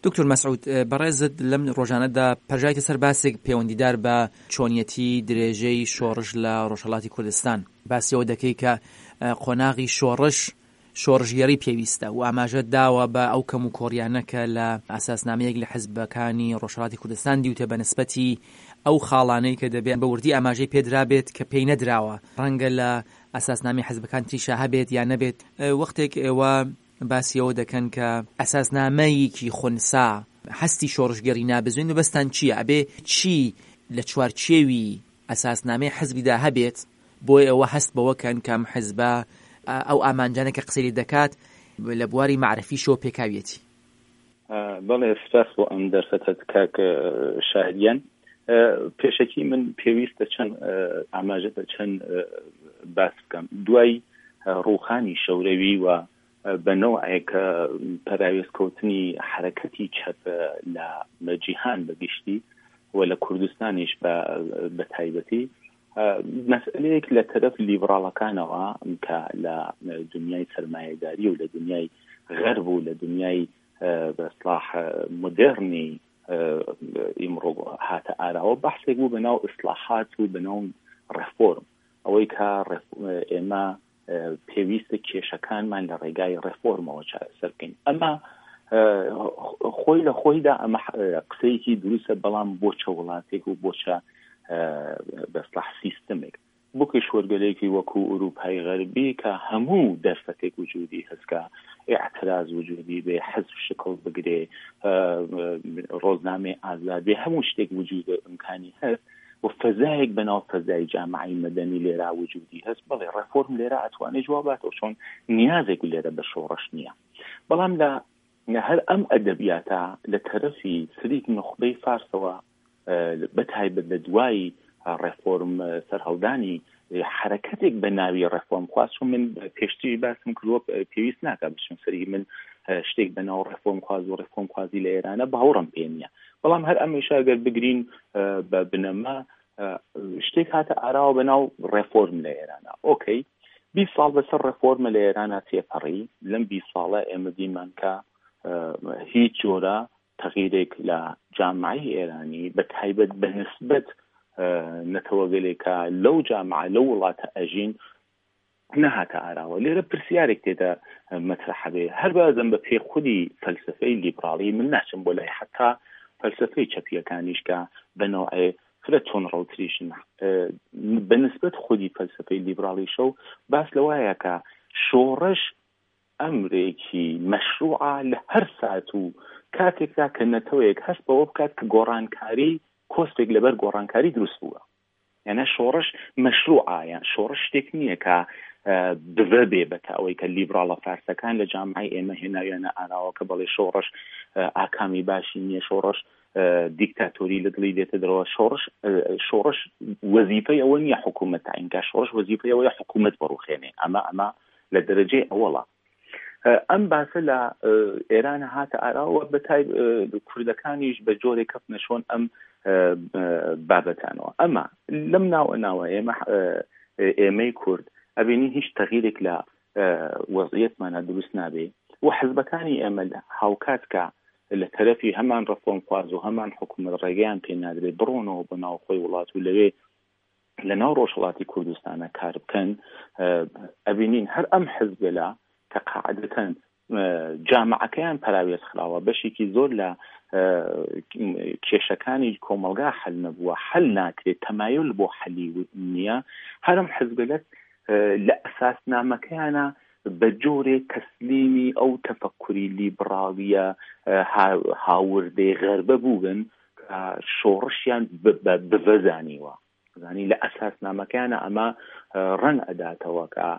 دکتۆر مەسعود، بەڕێزت لەم ڕۆژانەدا پەرژایتە سەر باسێک پەیوەندیدار بە چۆنیەتی درێژەی شۆڕش لە ڕۆژهەڵاتی کوردستان. باسی ئەوە دەکەی کە قۆناغی شۆڕش شۆڕشگێڕی پێویستە و ئاماژەت داوە بە ئەو کەموکۆڕیانە کە لە ئەساسنامەیەک لە حزبەکانی ڕۆژهەڵاتی کوردستان دیوتە بە نسبەتی ئەو خاڵانەی کە دەبێ بە وردی ئاماژەی پێدرابێت کە پێی نەدراوە ڕەنگە لە ئەساسنامەی حزبەکان تریشا هەبێت یا نەبێت وەختێک ئێوە باسی ئەوە دەکەن کە ئەساسنامەیەکی خونسا هەستی شۆڕشگێڕی نابزوێن مەبەستتان چییە؟ ئەبێ چی لە چوارچێوی ئەساسنامەی حزبیدا هەبێت بۆ ئێوە هەست بەوە کەن کە ئەم حزبە ئەو ئامانجانە کە قسەی لێ دەکات لە بواری مەعرفیشەوە پێکاویەتی؟ بەڵێ سپاس بۆ ئەم دەرفەتەت کاک شاهدیان. پێشەکی من پێویستە چەند ئاماژە بە چەند باس بکەم. دوای ڕووخانی شەورەوی و بە نەوعێک پەراوێز کەوتنی حەرەکەتی چەپ لە جیهان بە گشتی و لە کوردستانیش بە تایبەتی مەسئلەیەک لە تەرەف لیبڕاڵەکانەوە کە لە دنیای سەرمایەداری و لە دنیای غەرب و لە دنیای بە ئیسڵاح مۆدێرنی ئیمڕۆ هاتە ئاراوە بەحسێک بوو بە ناو ئیسڵاحات و بە ناو ڕێفۆرم ئەوەی کە ئێمە پێویستە کێشەکانمان لە ڕێگای ڕێفۆرمەوە چارەسەر بکەین ئەمە خۆی لە خۆیدا ئەمە قسەیەکی دروستە بەڵام بۆ چە وڵاتێک و بۆ چە بەسڵح سیستمێک بۆ کیشوەرگەلێکی وەکوو ئورووپای غەربی کە هەموو دەرفەتێک وجوودی هەس کە ئێعتراز وجوودی بێ، حزب شکڵ بگرێ، ڕۆزنامەی ئازاد بێ، هەموو شتێک وجوود ئیمکانی هەس و فەزایەک بە ناو فەزای جامعەی مەدەنی لێرا وجوودی هەس، بەڵێ ڕێفۆرم لێرا ئەتوانێ جواب باتەوە چۆن نیازێک لێرە بە شۆڕش نییە. بەڵام لە هەر ئەم ئەدەبیاتە لە تەرەفی سریک نوخبەی فارسەوە بە تایبەت لە دوای ڕێفۆرم سەرهەڵدانی حرەکەتێک بە ناوی ڕێفۆرم خواز چون من پێشتریش باسم کردووە پێویست ناکە بچم سەری من شتێک بە ناو ڕێفۆرم خواز و ڕێفۆرم خوازی لە ئێرانە باوەڕم پێ نییە بەڵام هەر ئەمیشە گەر بگرین بە بنەما شتێک هاتە ئاراوە بە ناو ڕێفۆرم لە ئێرانە ئۆکەی 20 ساڵ بەسەر ڕێفۆرمە لە ئێرانە تێپەڕی لەم 20 ساڵە ئێمە دیمان کە هیچ جۆرە تەغیرێک لە جامعەی ئێرانی بە تایبەت بە نسبەت نەتەوەگەلێک کە لەو جامعە لەو وڵاتە ئەژین نەهاتە ئاراوە. لێرە پرسیارێک تێدا مەترەحە بێ هەر بازم بە پێی خودی فەلسەفەی لیبڕاڵی من ناچم بۆ لای حەتا فەلسەفەی چەپییەکانیش کە بە نەوعێ فرە تونڕەوتریشن بە نسبەت خودی فەلسەفەی لیبڕاڵیشەو باس لەوایە کە شۆڕش ئەمرێکی مەشروعە لە هەر سات و کاتێکدا کە نەتەوەیەک هەست بەوە بکات کە گۆڕانکاری کۆسپێک لەبەر گۆڕانکاری دروست بووە. یانە شۆڕش مەشروعە، یان شۆڕش شتێک نییە کە بڤە بێ بە تا ئەوەی کە لیبراڵە فارسەکان لە جامعەی ئێمە هێناویانە ئاراوە کە بەڵێ شۆڕش ئاکامی باشی نییە، شۆڕش دیکتاتۆری لە دڵی دێتە دەرەوە، شۆڕش شۆڕش وەزیفەی ئەوە نییە حکوومەت تەعین کا، شۆڕش وەزیفەی ئەوەیە حکوومەت بڕوخێنێ. ئەمە ئەمە لە دەرەجەی ئەوەڵە ئەم باسە لە ئێران هاتە ئاراوە بە تای کوردەکانیش بە جۆرێک کەفتنە شۆن ئەم بابەتانەوە ئەمە لەم ناوە ناوە ئێمە ئێمەی کورد ئەبینی هیچ تەغیرێک لە وەزیەتمانە دروست نابێ و حزبەکانی ئێمە هاوکات کە لە تەرەفی هەمان ڕەفۆمخواز و هەمان حکوومەت ڕێگەیان پێ نادرێت بڕۆنەوە بۆ ناوخۆی وڵات و لەوێ لە ناو ڕۆژهەڵاتی کوردستانە کار بکەن ئەبینین هەر ئەم حزبگەلە کە قاعدەتەن جامعەکەیان پەراوێز خراوە بەشێکی زۆر لە کێشەکانی کۆمەڵگا حل نەبووە حل ناکرێت تەمایل بۆ حەلی نییە هەرم حزبگەلە لە ئەساسنامەکەیانە بە جۆرێک تەسلیمی ئەو تەفەکوری لیبڕاڵیە هاوردەی غەربە بووبن کە شۆڕشیان بە بڤە زانیوە زانی لە ئەساسنامەکەیانە ئەمە ڕەنگ ئەداتەوە کە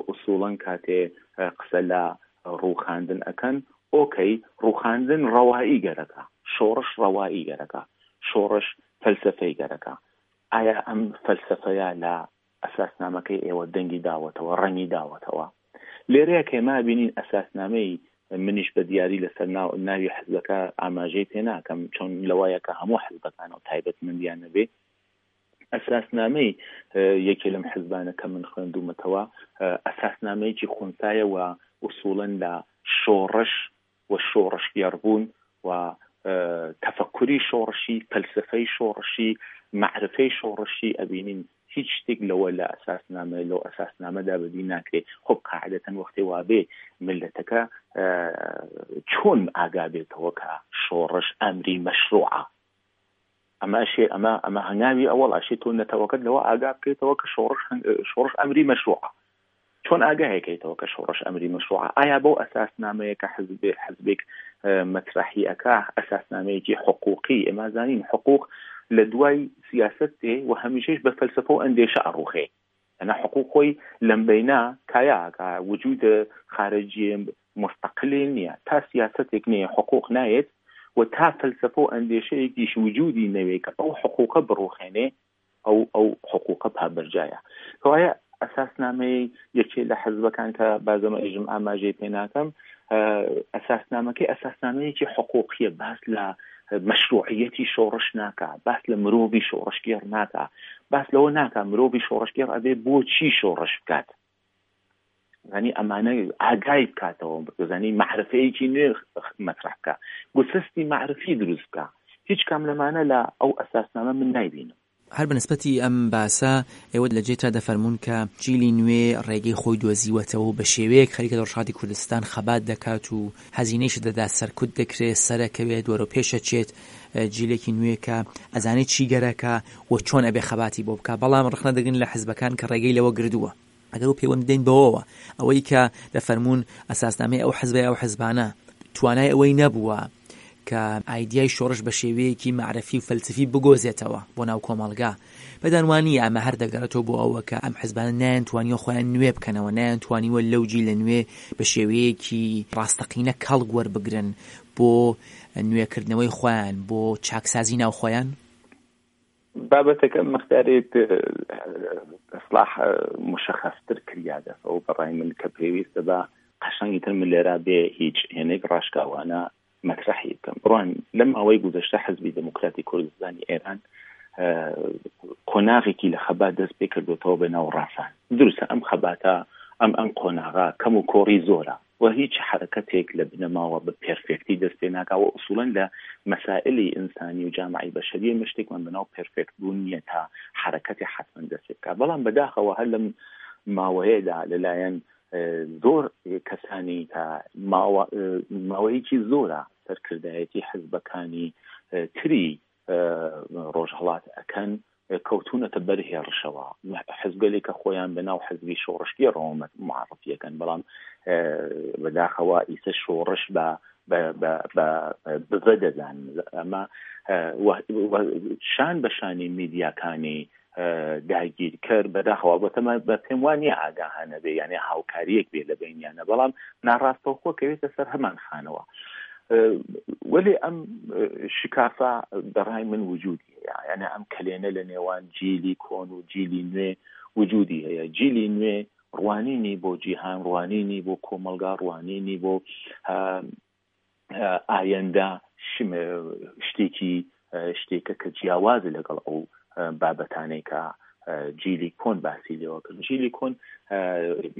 ئوسوڵەن کاتێ قسە لە ڕووخاندن ئەکەن ئۆکەی ڕووخاندن ڕەوایی گەرەکە شۆڕش ڕەوایی گەرەکە شۆڕش فەلسەفەی گەرەکە ئایا ئەم فەلسەفەیە لە ئەساسنامەکەی ئێوە دەنگی داوەتەوە، ڕەنگی داوەتەوە. لێرەیە کە ئێمە ئەبینین ئەساسنامەی منیش بە دیاری لەسەر ناو ناوی حزبەکە ئاماژەی پێ ناکەم چۆن لەوایە کە هەموو حزبەکانەوە تایبەتمەندیان نەبێ ئەساسنامەی یەکێ لەم حزبانە کە من خوێندومەتەوە ئەساسنامەیەکی خونسایە و ئوسوڵەن لە شۆڕش و شۆڕشگێڕبوون و تەفەکوری شۆڕشی، فەلسەفەی شۆڕشی، مەعرفەی شۆڕشی ئەبینین هیچ شتێک لەوە لە ئەساسنامە لەو ئەساسنامەدا بەدی ناکرێ. خۆ قاعدەتەن وەختێ وابێ میللەتەکە چۆن ئاگا بێتەوە کە شۆڕش ئەمری مەشروعە؟ ئەمە ئەشێ ئەمە ئەمە هەنگاوی ئەوەڵ ئەشێ تۆ نەتەوەکەت لەوە ئاگا بکەیتەوە کە شۆڕش شۆڕش ئەمری مەشروعە. چۆن ئاگای کەیتەوە کە شۆڕش ئەمری مەشروعە؟ ئایا بەو ئەساسنامەیە کە حزب حزبێک مەترەحی ئەکا ئەساسنامەیەکی حقوقی ئێمە زانین حقوق لە دوای سیاسەت دێ و هەمیشەش بە فەلسەفە و ئەندێشە ئەڕوخێ ئەنا حقوق خۆی لەم بەینا کایا ئەکا وجود خارجی مستقلێ نییە تا سیاسەتێک نەیە حقوق نایەت و تا فەلسەفە و ئەندێشەیەکیش وجودی نەوێ کە ئەو حقوقە بڕوخێنێ ئەو ئەو حقوقە پابەرجایە. کەوایە ئەساسنامەی یەکێ لە حزبەکان کە بازەمە ئێژم ئاماژەی پێ ناکەم، ئەساسنامەکەی ئەساسنامەیەکی حقوقیە، باس لە مەشروعیەتی شۆڕش ناکا، باس لە مرۆڤی شۆڕشگێڕ ناکا، باس لەوە ناکا مرۆڤی شۆڕشگێڕ ئەبێ بۆچی شۆڕش بکات. زانی ئەمانە ئاگای بکاتەوە بزانی مەعرفەیەکی نوێ مەترح بکە گوسستی مەعرفی دروست بکە هیچ کام لەمانە لە ئەو ئەساسنامە من نایبینم. هەر بە نسبەتی ئەم باسە ئێوە لە جێتا دەفەرموون کە جیلی نوێ ڕێگەی خۆی دۆزیوەتەوە و بە شێوەیەک خەریکە لە ڕۆژهەڵاتی کوردستان خەبات دەکات و هەزینەیش دەدات سەرکوت دەکرێت سەرەکەوێت وەرەو پێش ئەچێت جیلێکی نوێ کە ئەزانێت چی گەرەکە و چۆن ئەبێ خەباتی بۆ بکا بەڵام ڕەخنە دەگرن لە حزبەکان کە ڕێگەی لەوە گردووە. ئەگەر و پەیوەند بدەین بەوەوە ئەوەی کە دەفەرموون ئەساسنامەی ئەو حزبە یا ئەو حزبانە توانای ئەوەی نەبووە کە ئایدیای شۆڕش بە شێوەیەکی مەعرەفی و فەلسەفی بگۆزێتەوە بۆ ناو کۆمەڵگا پێتان وا نییە ئەمە هەر دەگەڕێتەوە بۆ ئەوە کە ئەم حزبانە نەیانتوانیوە خۆیان نوێ بکەنەوە نەیانتوانیوە لەو جیلە نوێ بە شێوەیەکی ڕاستەقینە کەڵک وەربگرن بۆ نوێکردنەوەی خۆیان بۆ چاکسازی ناو خۆیان؟ بابەتەکە مقدارێک ئیسلاح مشخصتر کریاگەسەوە بەڕای من کە پێویستە بە قەشەنگی تر من لێرا بێ هیچ هێنێک ڕاشکاوانە مەترەحی بکەم بڕوان لەم ماوەی گوزەشتە حزبی دێموکراتی کوردستانی ئێران قۆناغێکی لە خەبات دەست پێ کردوتەوە بە ناو ڕاسان دروستە ئەم خەباتە ئەم ئەم قۆناغا کەم و کۆڕی زۆرە و هیچ حەرەکەتێک لە بنەماوە بە پێرفێکتی دەست پێ ناکا و ئوسوڵەن لە مەسائلی ئینسانی و جامعەی بەشەری ئێمە شتێکمان بە ناو پێرفێکت بوون نییە تا حەرەکەتێ حەتمەن دەست پێ بکا بەڵام بەداخەوە هەر لەم ماوەیەدا لەلایەن زۆر کەسانی کە ماوە ماوەیەکی زۆرە سەرکردایەتی حزبەکانی تری ڕۆژهەڵات ئەکەن کەوتوونەتە بەر هێڕشەوە حزبگەلێک کە خۆیان بە ناو حزبی شۆڕشگێڕەوە معرفیەکەن بەڵام بەداخەوە ئیسە شۆڕش بە بە دەزان ئەمە شان بە شانی میدیاکانی داگیرکەر بەداخەوە ئەڵبەتە من بە پێم وا نییە ئاگاهانە بێ یانێ هاوکارییەک بێ لە بەینیانە بەڵام ناڕاستەوخۆ کەوێتە سەر هەمان خانەوە وەلێ ئەم شکافە بەڕای من وجودی هەیە یانە ئەم کەلێنە لە نێوان جیلی کۆن و جیلی نوێ وجودی هەیە جیلی نوێ ڕوانینی بۆ جیهان ڕوانینی بۆ کۆمەڵگا ڕوانینی بۆ ئایندە شتێکی شتێکە کە جیاوازە لەگەڵ ئەو بابەتانەی کە جیلی کۆن باسی لێوە کرد جیلی کۆن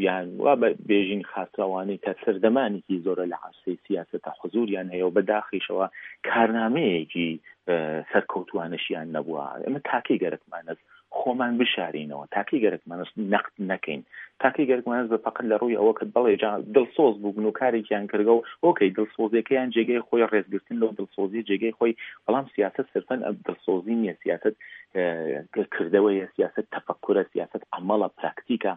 یان وا بێژین خاستراوانەی کە سەردەمانێکی زۆرە لە عرسەی سیاسەتە حزوریان هەیە و بە داخیشەوە کارنامەیەکی سەرکەوتوانەشیان نەبووە ئەمە تاکەی گەرەکمانەست خۆمان بشارینەوە تاکەی گەرەکمانە نەقد نەکەین تاکەی گەرەکمانە بە فەقەت لە ڕووی ئەوە کە بەڵێ جا دڵسۆز بووبن و کارێکیان کردگە و ئۆکەی دڵسۆزیەکەیان جێگەی خۆی ڕێزگرتن لەو دڵسۆزیە جێگەی خۆی بەڵام سیاسەت سرفەن ئەم دڵسۆزی نییە سیاسەت کردەوەیە سیاسەت تەفەکورە سیاسەت عەمەڵە پراکتیکە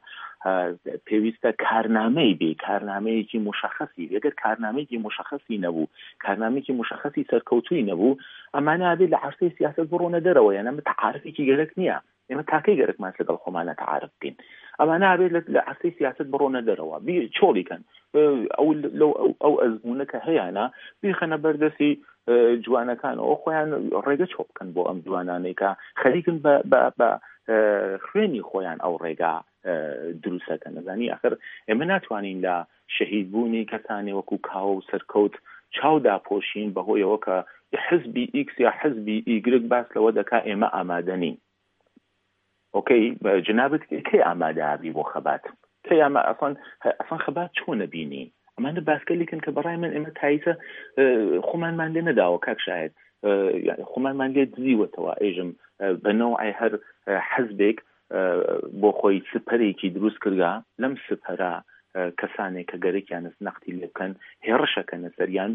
پێویستە کارنامەی بێ کارنامەیەکی مشخصی بێ گەر کارنامەیەکی مشخصی نەبوو کارنامەیەکی مشخصی سەرکەوتووی نەبوو ئەمانە ئەبێ لە عەرسەی سیاسەت بڕۆنە دەرەوە یان ئەمە تەعارفێکی گەرەک نییە ئێمە تاکەی گەرەکمان لەگەڵ خۆمانە تەعارف بکەین ئەمانە ئەبێت لە عەرسەی سیاسەت بڕۆنە دەرەوە بی چۆڵی کەن ئەو لەو ئەو ئەزموونە کە هەیانە بیخەنە بەردەستی جوانەکانەوە خۆیان ڕێگە چۆ بکەن بۆ ئەم جوانانەی کە خەریکن بە بە خوێنی خۆیان ئەو ڕێگا دروستەکەن ئەزانی ئەخر ئێمە ناتوانین لە شەهید بوونی کەسانی وەکو کاوە و سەرکەوت چاو داپۆشین بەهۆیەوە کە حزبی ئیکس یا حزبی ئیگرگ باس لەوە دەکا ئێمە ئامادە نین ئۆکەی جنابت کەی ئامادە ئەبی بۆ خەبات کەی ئەمە ئەسڵەن ئەسڵەن خەبات چۆنە بینی؟ ئەمانە باسگەلێکن کە بەڕای من ئێمە تایسە خۆمانمان لێ نەداوە کاک شاهد، خۆمانمان لێ دزیوەتەوە، ئێژم بە نەوعێ هەر حزبێک بۆ خۆی سپەرێکی دروست کردگە، لەم سپەرە کەسانێک کە گەرەکیانە نەقدی لێ بکەن هێڕشەکەنە سەریان،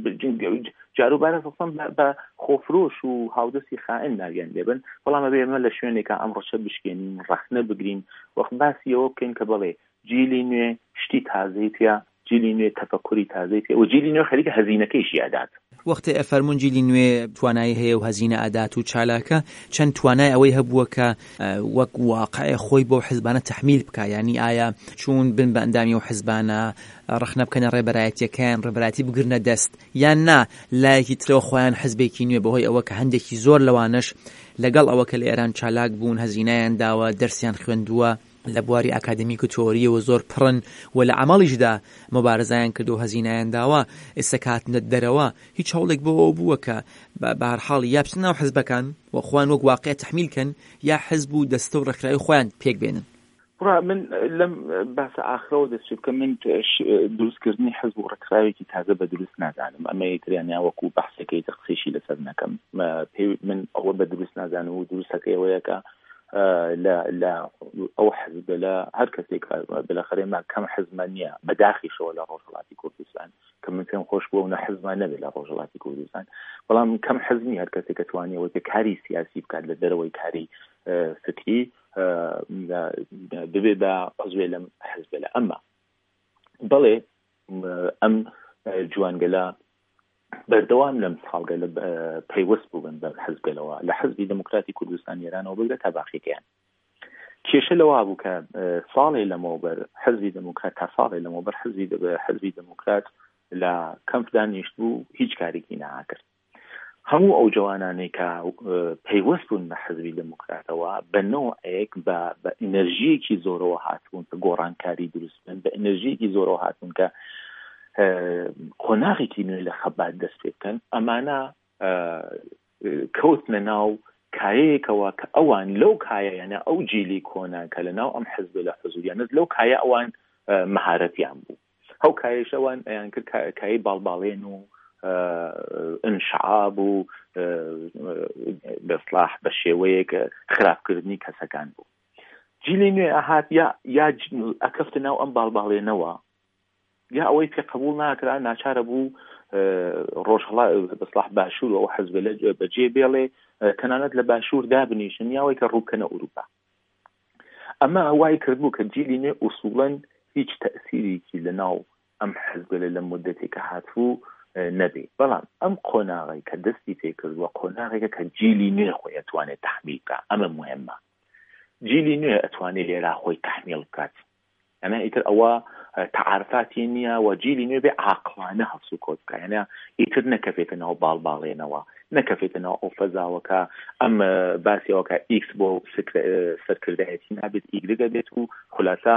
جاروبارە ئەسڵەن بە خۆفرۆش و هاودەستی خائن ناویان لێبن، بەڵام ئەبێ ئێمە لە شوێنێکا ئەم ڕەشە بشکێنین، ڕەخنە بگرین، وەخت باسی ئەوە بکەین کە بەڵێ جیلی نوێ شتی تازەی پێ، جیلی نوێ تەفەکوری تازەی پێ و جیلی نوێ خەریکە هەزینەکەیشی ئەدات. وەختێ ئەفەرموون جیلی نوێ توانایی هەیە و هەزینە ئەدات و چالاکە، چەند توانای ئەوەی هەبووە کە وەک واقع خۆی بەو حزبانە تەحمیل بکا؟ یانی ئایا چوون بن بە ئەندامی ئەو حزبانە، ڕەخنە بکەنە ڕێبەرایەتییەکەیان، ڕێبەرایەتی بگرنە دەست، یان نا لایەکی ترەوە خۆیان حزبێکی نوێ بەهۆی ئەوە کە هەندێکی زۆر لەوانەش لەگەڵ ئەوە کە لە ئێران چالاک بوون، هەزینەیان داوە، دەرسیان خوێندووە، لە بواری ئاکادمیک و تئۆرییەوە زۆر پڕن و لە عەمەڵیشدا موبارزەیان کردووە و هەزینەیان داوە، ئێستا کە هاتنە دەرەوە هیچ هەوڵێک بۆ ئەوە بووە کە بە هەر حاڵ یا بچنە ناو حزبەکان و خۆیان وەک واقیع تەحمیل کەن یا حزب و دەستە و ڕێکخراوی خۆیان پێک بێنن. کوڕە من لەم باسە ئاخرەوە دەست پێ بکەم، من دروستکردنی حزب و ڕێکخراوێکی تازە بە دروست نازانم، ئەمە ئیتر یان وەکوو بەحسێکە ئیتر قسەیشی لەسەر نەکەم، پێ من ئەوە بە دروست نازانم و دروستەکەی ئەوەیە کە لە لە ئەو حزبە لە هەر کەسێک بلەخەرێ ما کەم حزبمان نییە بەداخیشەوە لە ڕۆژهەڵاتی کوردستان کە من پێم خۆش بووە و نە حزبمان نەبێت لە ڕۆژهەڵاتی کوردستان، بەڵام کەم حزبی هەر کەسێک کە توانیەوە کە کاری سیاسی بکات لە دەرەوەی کاری فکری ببێ بە عزوێ لەم حزبە لە ئەمە بەڵێ ئەم جوانگەلە بەردەوام لەم ساڵگەلە پەیوەست بووبن بە حزبگەلەوە، لە حزبی دێموکراتی کوردستانی ئێرانەوە بگرە تا باقیەکەیان. کێشە لەوە بوو کە ساڵێ لەمەوبەر حزبی دێموکرات تا ساڵێ لەمەوبەر حزبی حزبی دێموکرات لە کەمپ دانیشت بوو هیچ کارێکی ناکرد. هەموو ئەو جەوانانەی کە پەیوەست بوون بە حزبی دێموکراتەوە بە نەوعێک بە بە ئینەرژییەکی زۆرەوە هاتبوون کە گۆڕانکاری دروست بکەن، بە ئینەرژییەکی زۆرەوە هاتبوون کە قۆناغێکی نوێ لە خەبات دەست پێ بکەن، ئەمانە کەوتنە ناو کایەیەکەوە کە ئەوان لەو کایەیانە ئەو جیلی کۆنە کە لە ناو ئەم حزبە لە حزوریانە لەو کایە ئەوان مەهارەتیان بوو. ئەو کایەیش ئەوان ئەیان کرد کایەی باڵباڵێن و ئینشعاب و بەسڵاح بە شێوەیەک خراپکردنی کەسەکان بوو. جیلی نوێ ئەهات یا یا ئەکەفتە ناو ئەم باڵباڵێنەوە یا ئەوەی پێ قبول ناکرا ناچارە بوو ڕۆژهەڵات بەسڵاح باشوور و ئەو حزبە بەجێ بێڵێ تەنانەت لە باشوور دابنیشن یاوەی کە ڕووبکەنە ئەوروپا. ئەمە وای کردبوو کە جیلی نوێ ئوسوڵەن هیچ تەئسیرێکی لە ناو ئەم حزبگەلە لەم مودەتێک کە هاتبوو نەبێ. بەڵام ئەم قۆناغەی کە دەستی پێ کردووە قۆناغێکە کە جیلی نوێ خۆی ئەتوانێ تەحمیل بکا. ئەمە موهیمە. جیلی نوێ ئەتوانێ لێرا خۆی تەحمیڵ بکات. یانە ئیتر ئەوە تەعارفاتی نییە و جیلی نوێ بێ عاقڵانە هەڵسوکەوت بکە، یانە ئیتر نەکەفێتە ناو باڵباڵێنەوە، نەکەفێتە ناو ئەو فەزاوە کە ئەم باسیەوە کە ئیکس بۆ سەرکردایەتی نابێت ئیگرگە بێت و خولاسە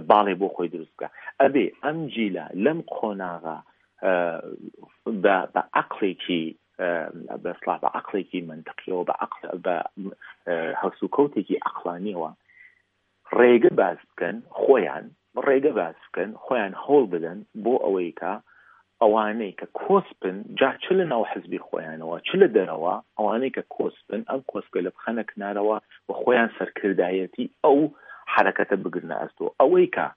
باڵێ بۆ خۆی دروست بکە. ئەبێ ئەم جیلە لەم قۆناغە بە عەقڵێکی بەسڵا بە عەقڵێکی مەنتقیەوە بە عەقڵ بە هەڵسوکەوتێکی عەقڵانیەوە ڕێگە باس بکەن خۆیان ڕێگە باس بکەن خۆیان هەوڵ بدەن بۆ ئەوەی کە ئەوانەی کە کۆسپن جا چ لە ناو حزبی خۆیانەوە چ لە دەرەوە ئەوانەی کە کۆسپن ئەم کۆسپگەلە بخەنە کنارەوە و خۆیان سەرکردایەتی ئەو حەرەکەتە بگرنە ئەستۆ ئەوەی کە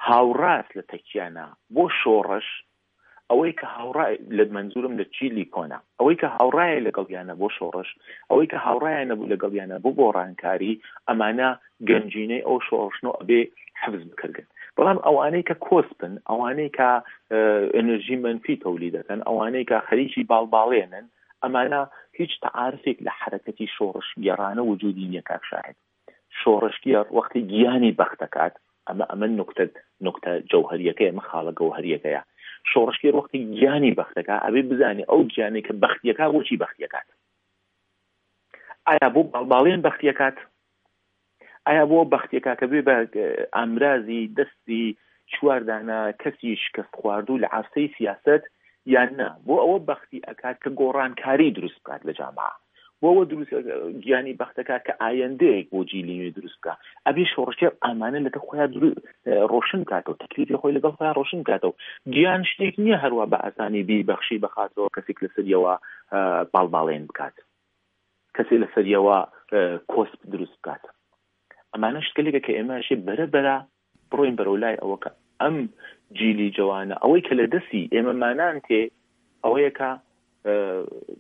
هاوڕاست لە تەکیانە بۆ شۆڕش ئەوەی کە هاوڕای لە مەنزورم لە چیلی کۆنە، ئەوەی کە هاوڕایە لەگەڵیانە بۆ شۆڕش، ئەوەی کە هاوڕایە نەبوو لەگەڵیانە بۆ گۆڕانکاری، ئەمانە گەنجینەی ئەو شۆڕشن و ئەبێ حفز بکرگن. بەڵام ئەوانەی کە کۆسپن، ئەوانەی کە ئەنرژی مەنفی تەولی دەکەن، ئەوانەی کە خەریکی باڵباڵێنن، ئەمانە هیچ تەعارفێک لە حەرەکەتی شۆڕشگێڕانە وجودی نیە کاک شاهد. شۆڕشگێڕ وەختی گیانی بەخت دەکات، ئەمە ئەمە نوکتە نوکتە جەوهەریەکەیە، ئەمە خاڵە گەوهەریەکەیە، شۆڕشگێڕ وەختی گیانی بەخت دەکات ئەبێ بزانێ ئەو گیانەی کە بەختیەکا بۆچی بەختیەکات؟ ئایا بۆ باڵباڵێن بەختیەکات؟ ئایا بۆ بەختیەکا کە بێ بە ئامرازی دەستی چواردانە کەسی شکست خواردوو لە عەرسەی سیاسەت یان نا بۆ ئەوە بەختی ئەکات کە گۆڕانکاری دروست بکات لە جامعە؟ بۆ ئەوە دروست گیانی بەختەکە کە ئایندەیەک بۆ جیلی نوێ دروست بکە. ئەبێ شۆڕشگێڕ ئامانە لەگەڵ خۆیان ڕۆشن بکاتەوە، تەکلیفی خۆی لەگەڵ خۆیان ڕۆشن بکاتەوە. گیان شتێک نییە هەروا بە ئاسانی بیبەخشی بەخاتەوە کەسێک لەسەریەوە باڵباڵێن بکات، کەسێ لەسەریەوە کۆسپ دروست بکات. ئەمانە شتگەلێکە کە ئێمە ئەشێ بەرە بەرە بڕۆین بەرەو لای ئەوە کە ئەم جیلی جەوانە ئەوەی کە لە دەستی ئێمەمانان تێ ئەوەیە کە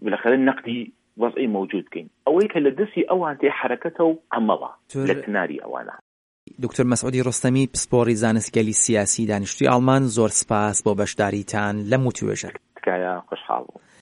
بالاخرە نەقدی وەزعی مەوجود بکەین ئەوەی کە لە دەستی ئەوان تێ حەرەکەتە و عەمەڵە لە کناری ئەوانە. دکتۆر مەسعودی ڕۆستەمی پسپۆڕی زانستگەلی سیاسی دانیشتووی ئاڵمان زۆر سپاس بۆ بەشداریتان لەم وتوێژە. تکایە.